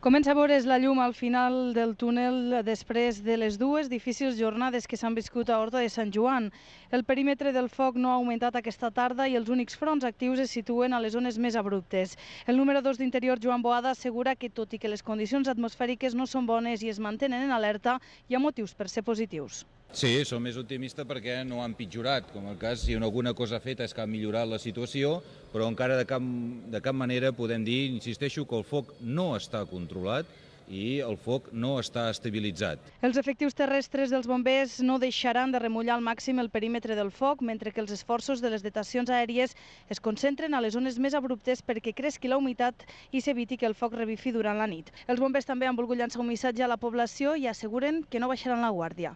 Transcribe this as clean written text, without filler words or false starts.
Comença a veure's la llum al final del túnel després de les dues difícils jornades que s'han viscut a Horta de Sant Joan. El perímetre del foc no ha augmentat aquesta tarda i els únics fronts actius es situen a les zones més abruptes. El número 2 d'Interior, Joan Boada, assegura que tot i que les condicions atmosfèriques no són bones i es mantenen en alerta, hi ha motius per ser positius. Sí, som més optimistes perquè no han pitjorat, com el cas, si alguna cosa feta és que ha millorat la situació, però encara de cap manera podem dir, insisteixo, que el foc no està controlat i el foc no està estabilitzat. Els efectius terrestres dels bombers no deixaran de remullar al màxim el perímetre del foc, mentre que els esforços de les detacions aèries es concentren a les zones més abruptes perquè cresqui la humitat i s'eviti que el foc revifi durant la nit. Els bombers també han volgut llançar un missatge a la població i asseguren que no baixaran la guàrdia.